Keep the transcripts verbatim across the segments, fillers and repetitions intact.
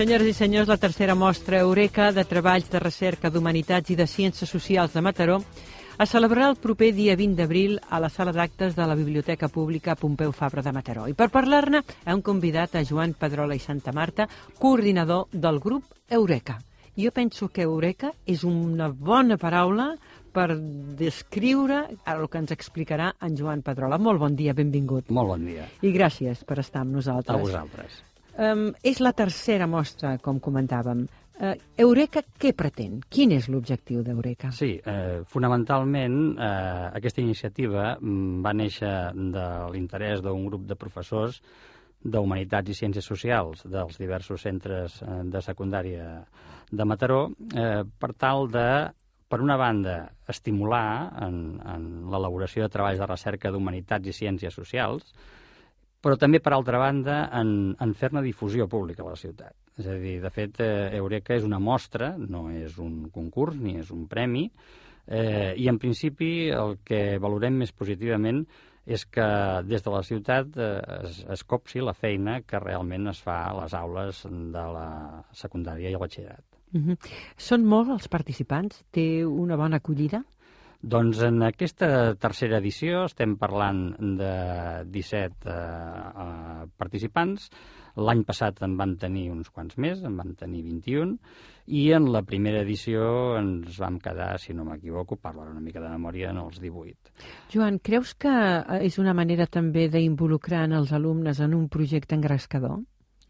Senyores i senyors, la tercera mostra Eureka de treballs de recerca d'humanitats i de ciències socials de Mataró es celebrarà el proper dia vint d'abril a la sala d'actes de la Biblioteca Pública Pompeu Fabra de Mataró. I per parlar-ne hem convidat a Joan Pedrola i Santamarta, coordinador del grup Eureka. Jo penso que Eureka és una bona paraula per descriure el que ens explicarà en Joan Pedrola. Molt bon dia, benvingut. Molt bon dia. I gràcies per estar amb nosaltres. A vosaltres. Um, és la tercera mostra, com comentàvem. Uh, Eureka què pretén? Quin és l'objectiu d'Eureka? Sí, eh, fonamentalment eh, aquesta iniciativa va néixer de l'interès d'un grup de professors d'Humanitats i Ciències Socials dels diversos centres eh, de secundària de Mataró eh, per tal de, per una banda, estimular en, en l'elaboració de treballs de recerca d'humanitats i ciències socials, però també, per altra banda, en, en fer-ne difusió pública a la ciutat. És a dir, de fet, eh, Eureka és una mostra, no és un concurs ni és un premi, eh, i en principi el que valorem més positivament és que des de la ciutat eh, es, es copsi la feina que realment es fa a les aules de la secundària i el batxillerat. Uh-huh. Són molts els participants? Té una bona acollida? Doncs en aquesta tercera edició estem parlant de disset eh, eh, participants. L'any passat en van tenir uns quants més, en van tenir vint-i-un, i en la primera edició ens vam quedar, si no m'equivoco, parlo una mica de memòria, en els divuit. Joan, creus que és una manera també d'involucrar els alumnes en un projecte engrescador?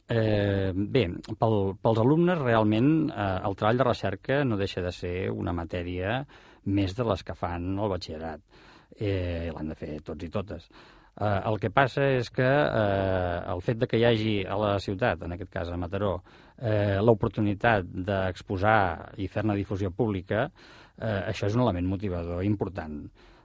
Eh, bé, pel, pels alumnes realment eh, el treball de recerca no deixa de ser una matèria més de les que fan el batxillerat. Eh, l'han de fer tots i totes. Eh, el que passa és que eh, el fet de que hi hagi a la ciutat, en aquest cas a Mataró, eh, l'oportunitat d'exposar i fer-ne difusió pública, eh, això és un element motivador important.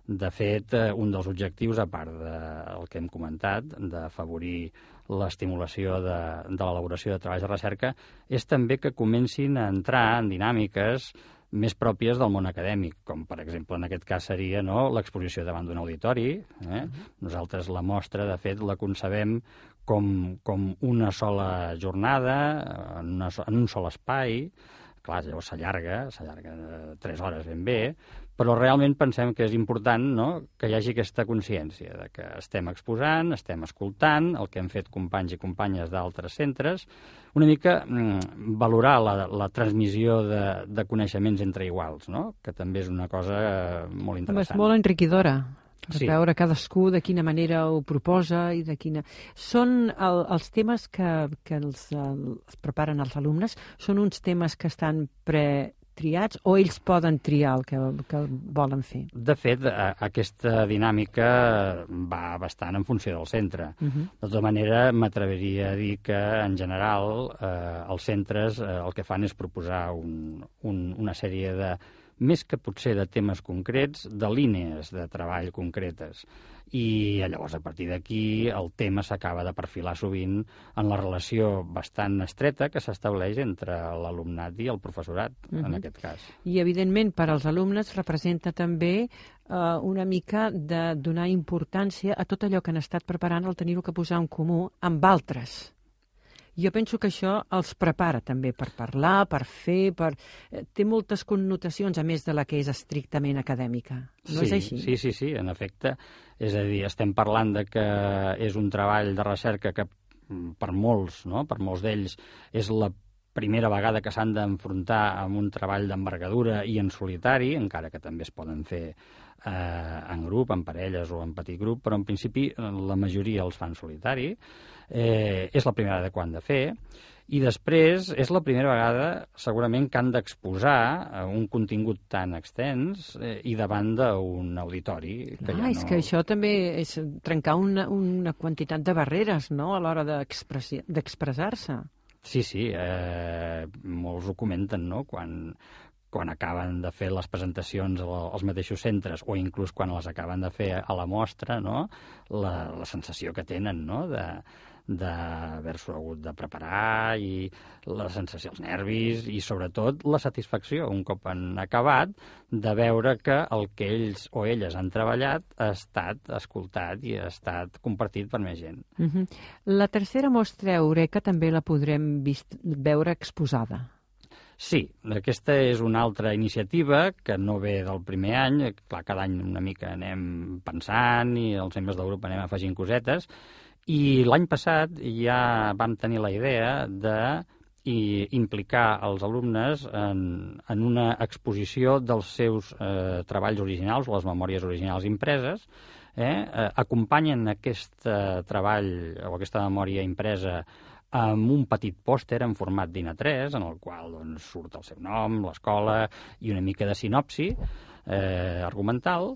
De fet, eh, un dels objectius, a part del que hem comentat, d'afavorir l'estimulació de, de l'elaboració de treballs de recerca, és també que comencin a entrar en dinàmiques més pròpies del món acadèmic, com per exemple en aquest cas seria no, l'exposició davant d'un auditori. Eh? Nosaltres la mostra, de fet, la concebem com, com una sola jornada, en, una, en un sol espai. Clar, llavors s'allarga, s'allarga tres hores ben bé, però realment pensem que és important no, que hi hagi aquesta consciència de que estem exposant, estem escoltant el que han fet companys i companyes d'altres centres, una mica mm, valorar la, la transmissió de, de coneixements entre iguals, no? Que també és una cosa molt interessant. És molt enriquidora. Per sí. veure cadascú de quina manera ho proposa i de quina... Són el, els temes que, que els, els preparen els alumnes, són uns temes que estan pretriats o ells poden triar el que, que volen fer? De fet, a, aquesta dinàmica va bastant en funció del centre. Uh-huh. De tota manera, m'atreviria a dir que, en general, eh, els centres eh, el que fan és proposar un, un, una sèrie de més que potser de temes concrets, de línies de treball concretes. I llavors, a partir d'aquí, el tema s'acaba de perfilar sovint en la relació bastant estreta que s'estableix entre l'alumnat i el professorat, uh-huh. en aquest cas. I, evidentment, per als alumnes representa també eh, una mica de donar importància a tot allò que han estat preparant, el tenir-ho que posar en comú amb altres. Jo penso que això els prepara també per parlar, per fer, per... té moltes connotacions, a més de la que és estrictament acadèmica. No sí, és així? Sí, sí, sí, en efecte. És a dir, estem parlant de que és un treball de recerca que per molts, no? per molts d'ells, és la primera vegada que s'han d'enfrontar amb un treball d'envergadura i en solitari, encara que també es poden fer eh, en grup, en parelles o en petit grup, però en principi la majoria els fan solitari. Eh, és la primera vegada que ho han de fer, i després és la primera vegada segurament que han d'exposar un contingut tan extens eh, i davant d'un auditori. Que ah, ja no... és que això també és trencar una, una quantitat de barreres, no?, a l'hora d'expressar-se. Sí, sí, eh, molts ho comenten, no?, quan... quan acaben de fer les presentacions als mateixos centres o inclús quan les acaben de fer a la mostra, no? la, la sensació que tenen, no? de d'haver-s'ho hagut de preparar i la sensació, els nervis i sobretot la satisfacció un cop han acabat de veure que el que ells o elles han treballat ha estat escoltat i ha estat compartit per més gent. Uh-huh. La tercera mostra Eureka també la podrem vist, veure exposada. Sí, aquesta és una altra iniciativa que no ve del primer any. Clar, cada any una mica anem pensant i els membres del grup anem afegint cosetes. I l'any passat ja vam tenir la idea de implicar els alumnes en, en una exposició dels seus eh, treballs originals o les memòries originals impreses. Eh? Eh, acompanyen aquest eh, treball o aquesta memòria impresa amb un petit pòster en format d'I N A tres, en el qual doncs, surt el seu nom, l'escola i una mica de sinopsi eh, argumental.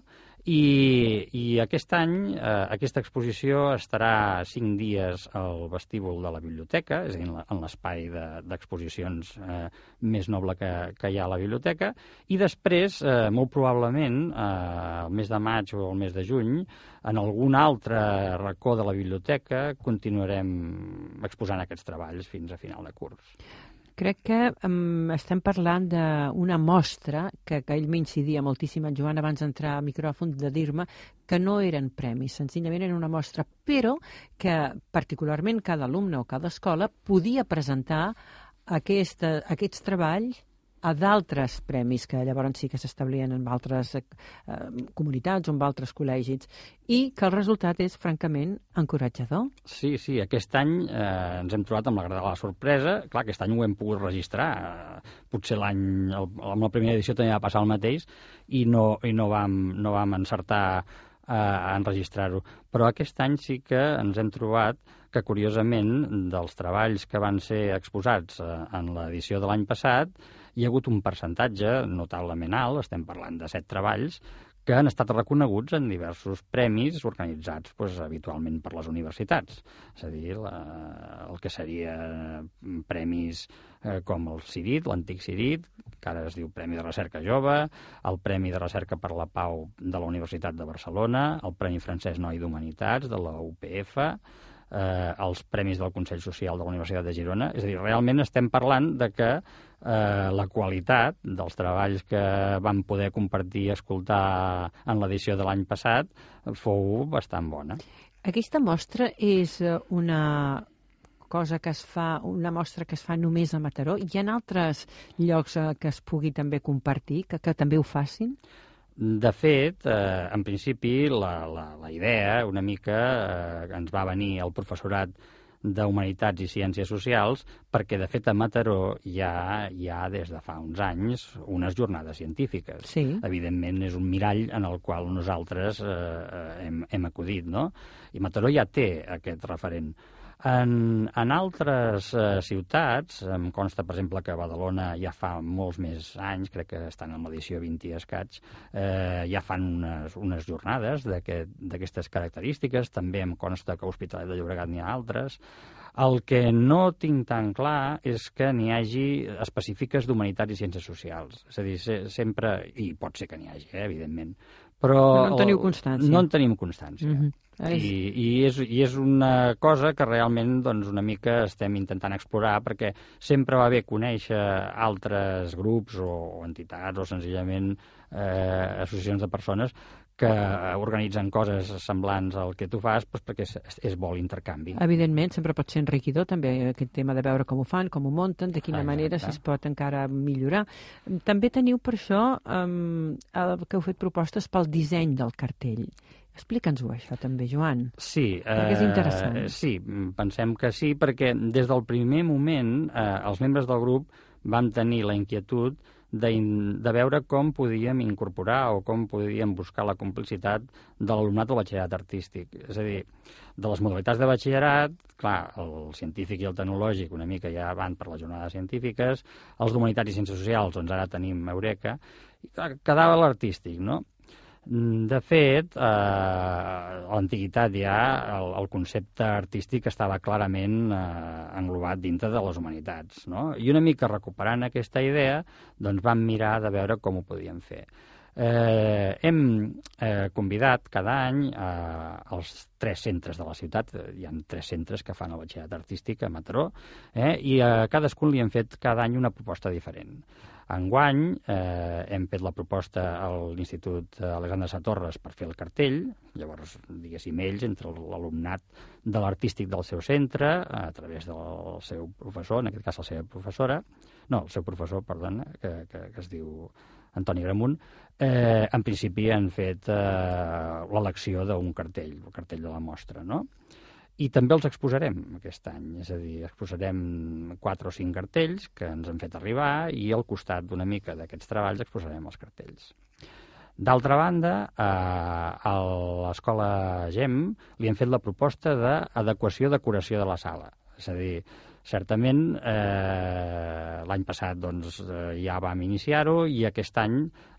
I, i aquest any eh, aquesta exposició estarà cinc dies al vestíbul de la biblioteca, és a dir, en l'espai d'exposicions de, eh, més noble que, que hi ha a la biblioteca, i després, eh, molt probablement, eh, el mes de maig o el mes de juny, en algun altre racó de la biblioteca continuarem exposant aquests treballs fins a final de curs. Crec que um, estem parlant d'una mostra que, que ell m'incidia moltíssim, en Joan, abans d'entrar al micròfon, de dir-me que no eren premis, senzillament era una mostra, però que particularment cada alumne o cada escola podia presentar aquesta, aquests treballs a d'altres premis que llavors sí que s'establien en altres eh, comunitats o en altres col·legis, i que el resultat és francament encoratjador. Sí, sí, aquest any eh, ens hem trobat amb la agradable sorpresa. Clar, aquest any ho hem pogut registrar. Eh, potser l'any, amb la primera edició també va passar el mateix i no, i no, vam, no vam encertar eh, a enregistrar-ho. Però aquest any sí que ens hem trobat que, curiosament, dels treballs que van ser exposats eh, en l'edició de l'any passat, hi ha hagut un percentatge notablement alt, estem parlant de set treballs, que han estat reconeguts en diversos premis organitzats pues, habitualment per les universitats. És a dir, la, el que seria premis eh, com el CIRIT, l'antic CIRIT, que ara es diu Premi de Recerca Jove, el Premi de Recerca per la Pau de la Universitat de Barcelona, el Premi Francesc Noi d'Humanitats de la U P F, eh, els Premis del Consell Social de la Universitat de Girona. És a dir, realment estem parlant de que eh, la qualitat dels treballs que vam poder compartir i escoltar en l'edició de l'any passat fou bastant bona. Aquesta mostra és una cosa que es fa, una mostra que es fa només a Mataró. Hi ha altres llocs que es pugui també compartir, que, que també ho facin? De fet, eh, en principi, la, la, la idea una mica eh, ens va venir el professorat d'Humanitats i Ciències Socials perquè, de fet, a Mataró hi ha, hi ha des de fa uns anys unes jornades científiques. Sí. Evidentment, és un mirall en el qual nosaltres eh, hem, hem acudit, no? I Mataró ja té aquest referent. En, en altres eh, ciutats, em consta, per exemple, que a Badalona ja fa molts més anys, crec que estan en l'edició vint i escaig, eh, ja fan unes, unes jornades d'aquestes característiques. També em consta que a Hospitalet de Llobregat n'hi ha altres. El que no tinc tan clar és que n'hi hagi específiques d'humanitats i ciències socials. És a dir, se, sempre, i pot ser que n'hi hagi, eh, evidentment, però no en teniu constància. No en tenim constància. Mm-hmm. I, i, és, i és una cosa que realment doncs, una mica estem intentant explorar, perquè sempre va bé conèixer altres grups o, o entitats o senzillament eh, associacions de persones que organitzen coses semblants al que tu fas, doncs perquè és, és bo l'intercanvi. Evidentment, sempre pot ser enriquidor també aquest tema de veure com ho fan, com ho munten, de quina Exacte. manera si es pot encara millorar. També teniu per això um, el que heu fet propostes pel disseny del cartell. Explica'ns-ho, això, també, Joan. Sí. Perquè és interessant. Eh, sí, pensem que sí, perquè des del primer moment eh, els membres del grup vam tenir la inquietud de, de veure com podíem incorporar o com podíem buscar la complicitat de l'alumnat del batxillerat artístic. És a dir, de les modalitats de batxillerat, clar, el científic i el tecnològic una mica ja van per les jornades científiques, els d'humanitats i ciències socials, doncs ara tenim Eureka, i clar, quedava l'artístic, no? De fet, eh, a l'antiguitat ja el, el concepte artístic estava clarament eh, englobat dintre de les humanitats, no? I una mica recuperant aquesta idea, doncs vam mirar de veure com ho podíem fer. Eh, hem eh, convidat cada any eh, els tres centres de la ciutat, hi ha tres centres que fan el batxillerat artístic a Mataró, eh, i a cadascun li hem fet cada any una proposta diferent. Enguany eh, hem fet la proposta a l'Institut Alexandre Satorres per fer el cartell, llavors, diguéssim, ells, entre l'alumnat de l'artístic del seu centre, a través del seu professor, en aquest cas la seva professora, no, el seu professor, perdona, que, que, que es diu Antoni Gramunt, eh, en principi han fet eh, l'elecció d'un cartell, el cartell de la mostra, no? I també els exposarem aquest any, és a dir, exposarem quatre o cinc cartells que ens han fet arribar i al costat d'una mica d'aquests treballs exposarem els cartells. D'altra banda, eh, a l'Escola GEM li hem fet la proposta d'adequació-decoració de la sala, és a dir, certament, eh, l'any passat doncs, eh, ja vam iniciar-ho i aquest any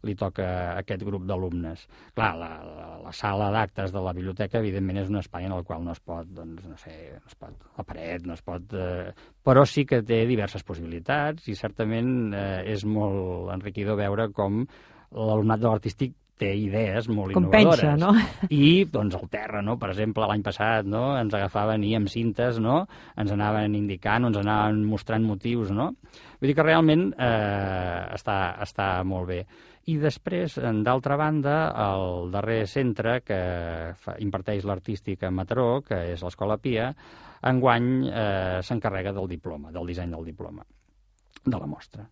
li toca a aquest grup d'alumnes. Clar, la, la, la sala d'actes de la biblioteca, evidentment, és un espai en el qual no es pot, doncs, no sé, no es pot, la paret, no es pot... Eh, però sí que té diverses possibilitats i certament eh, és molt enriquidor veure com l'alumnat de l'artístic té idees molt com innovadores. Pensa, no? I, doncs, el terra, no? Per exemple, l'any passat, no? Ens agafaven i amb cintes, no? Ens anaven indicant, ens anaven mostrant motius, no? Vull dir que realment eh, està, està molt bé. I després, d'altra banda, el darrer centre que fa, imparteix l'artístic a Mataró, que és l'Escola Pia, enguany eh, s'encarrega del diploma, del disseny del diploma, de la mostra.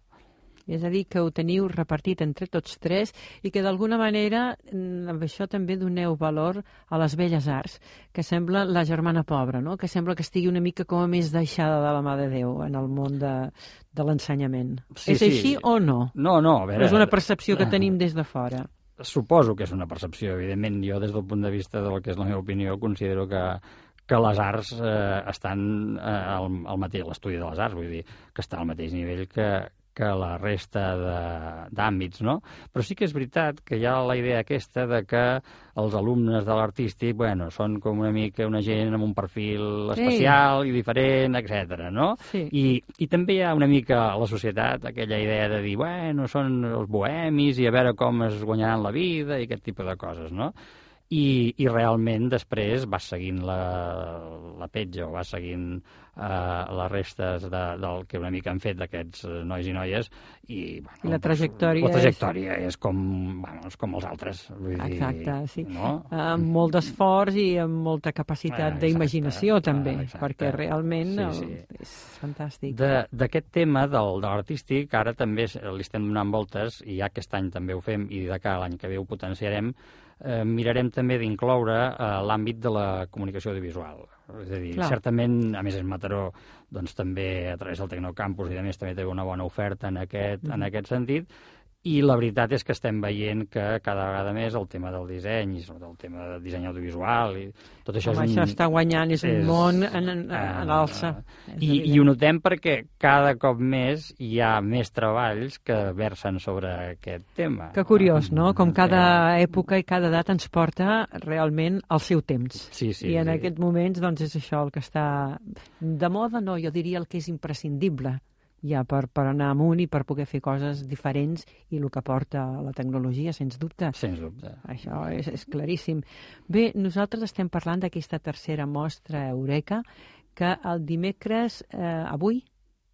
És a dir, que ho teniu repartit entre tots tres i que d'alguna manera amb això també doneu valor a les belles arts, que sembla la germana pobra, no? Que sembla que estigui una mica com a més deixada de la mà de Déu en el món de, de l'ensenyament. Sí, és sí. Així o no? No, no, a veure... És una percepció que tenim des de fora. Suposo que és una percepció, evidentment. Jo, des del punt de vista del que és la meva opinió, considero que que les arts eh, estan eh, al, al mateix, l'estudi de les arts, vull dir, que està al mateix nivell que, que la resta d'àmbits, no? Però sí que és veritat que hi ha la idea aquesta de que els alumnes de l'artístic, bueno, són com una mica una gent amb un perfil especial sí. i diferent, etcètera, no? Sí. I, I també hi ha una mica a la societat aquella idea de dir, bueno, són els bohemis i a veure com es guanyaran la vida i aquest tipus de coses, no? I, i realment després vas seguint la, la petja o vas seguint eh, les restes de, del que una mica han fet d'aquests nois i noies i, bueno, I la trajectòria, la trajectòria és, és com, bueno, és com els altres. Vull exacte, dir, sí. No? Amb molt d'esforç i amb molta capacitat ah, d'imaginació també, exacte, perquè realment sí, sí. El, és fantàstic. D'aquest tema del, de l'artístic ara també li estem donant voltes i ja aquest any també ho fem i de cara a l'any que ve ho potenciarem. Eh, mirarem també d'incloure eh, l'àmbit de la comunicació audiovisual. És a dir, clar, certament, a més és Mataró, doncs també a través del Tecnocampus i a més també té una bona oferta en aquest, mm. en aquest sentit, i la veritat és que estem veient que cada vegada més el tema del disseny i sobretot el tema del disseny audiovisual i tot això Home, és un... això està guanyant, és, és un món en, en, en alça. Uh, i, I ho notem perquè cada cop més hi ha més treballs que versen sobre aquest tema. Que curiós, no? Com cada època i cada edat ens porta realment al seu temps. Sí, sí, I en sí. aquests moments doncs, és això el que està de moda, no, jo diria el que és imprescindible ja per, per anar amunt i per poder fer coses diferents i el que porta la tecnologia, sens dubte. Sens dubte. Això és, és claríssim. Bé, nosaltres estem parlant d'aquesta tercera mostra Eureka, que el dimecres, eh, avui,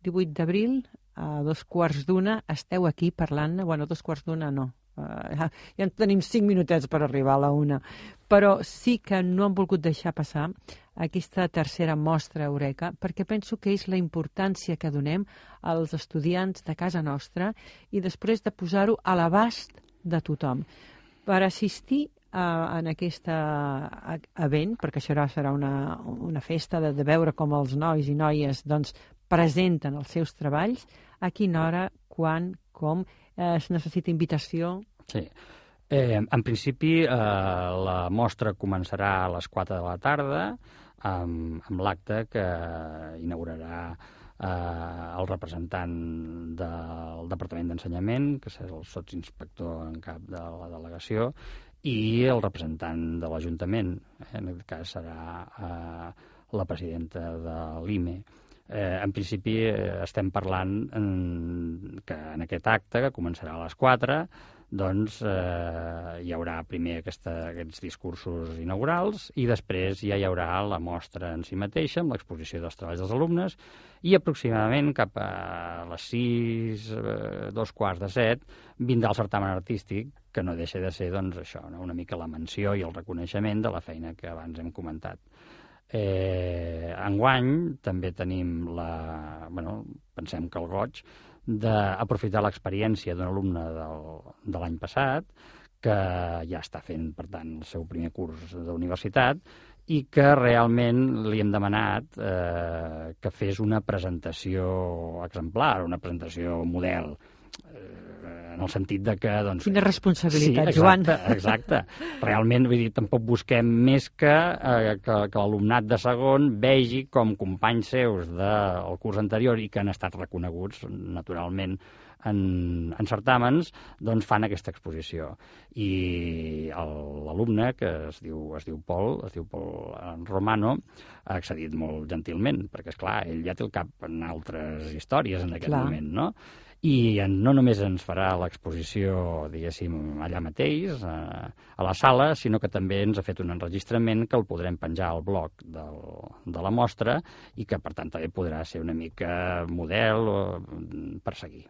divuit d'abril, a dos quarts d'una, esteu aquí parlant, bueno, dos quarts d'una no, uh, ja, ja tenim cinc minutets per arribar a la una, però sí que no han volgut deixar passar aquesta tercera mostra Eureka, perquè penso que és la importància que donem als estudiants de casa nostra i després de posar-ho a l'abast de tothom. Per assistir a, en aquest event, perquè això serà una, una festa de, de veure com els nois i noies doncs, presenten els seus treballs, a quina hora, quan, com, eh, es necessita invitació? Sí. Eh, en principi, eh, la mostra començarà a les quatre de la tarda, amb, amb l'acte que inaugurarà eh, el representant del Departament d'Ensenyament, que és el sotsinspector en cap de la delegació, i el representant de l'Ajuntament, eh, en aquest cas serà eh, la presidenta de l'I M E. Eh, en principi eh, estem parlant en, que en aquest acte, que començarà a les quatre, doncs eh, hi haurà primer aquesta, aquests discursos inaugurals i després ja hi haurà la mostra en si mateixa, amb l'exposició dels treballs dels alumnes, i aproximadament cap a les sis, eh, dos quarts de set, vindrà el certamen artístic, que no deixa de ser, doncs, això, no? Una mica la menció i el reconeixement de la feina que abans hem comentat. Eh, enguany també tenim la... Bueno, pensem que el goig d'aprofitar l'experiència d'un alumne del, de l'any passat, que ja està fent, per tant, el seu primer curs d'universitat, i que realment li hem demanat eh, que fes una presentació exemplar, una presentació model, eh, en el sentit de que... Doncs, quina responsabilitat, sí, Joan. exacte, exacte. Realment, vull dir, tampoc busquem més que, eh, que, que l'alumnat de segon vegi com companys seus del curs anterior i que han estat reconeguts, naturalment, en, en certàmens, doncs fan aquesta exposició. I l'alumne, que es diu, es diu Pol, es diu Pol Romano, ha accedit molt gentilment, perquè, esclar, ell ja té el cap en altres històries en aquest Clar. moment, no? I no només ens farà l'exposició, diguéssim, allà mateix, a, a la sala, sinó que també ens ha fet un enregistrament que el podrem penjar al blog del, de la mostra i que, per tant, també podrà ser una mica model per seguir.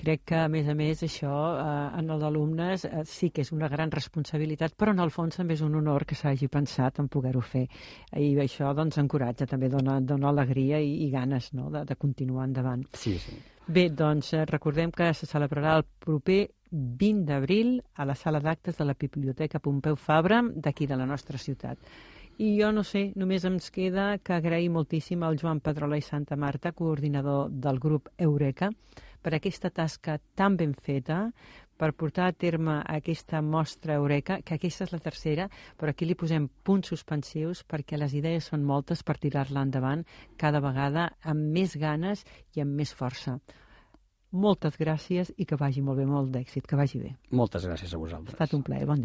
Crec que, a més a més, això eh, en els alumnes eh, sí que és una gran responsabilitat, però en el fons també és un honor que s'hagi pensat en poder-ho fer. I això doncs encoratja, també dona, dona alegria i, i ganes, no?, de, de continuar endavant. Sí, sí. Bé, doncs eh, recordem que se celebrarà el proper vint d'abril a la sala d'actes de la Biblioteca Pompeu Fabra d'aquí de la nostra ciutat. I jo no sé, només ens queda que agrair moltíssim al Joan Pedrola i Santa Marta, coordinador del grup Eureka, per aquesta tasca tan ben feta, per portar a terme aquesta mostra Eureka, que aquesta és la tercera, però aquí li posem punts suspensius perquè les idees són moltes per tirar-la endavant cada vegada amb més ganes i amb més força. Moltes gràcies i que vagi molt bé, molt d'èxit, que vagi bé. Moltes gràcies a vosaltres. Ha estat un plaer, bon dia.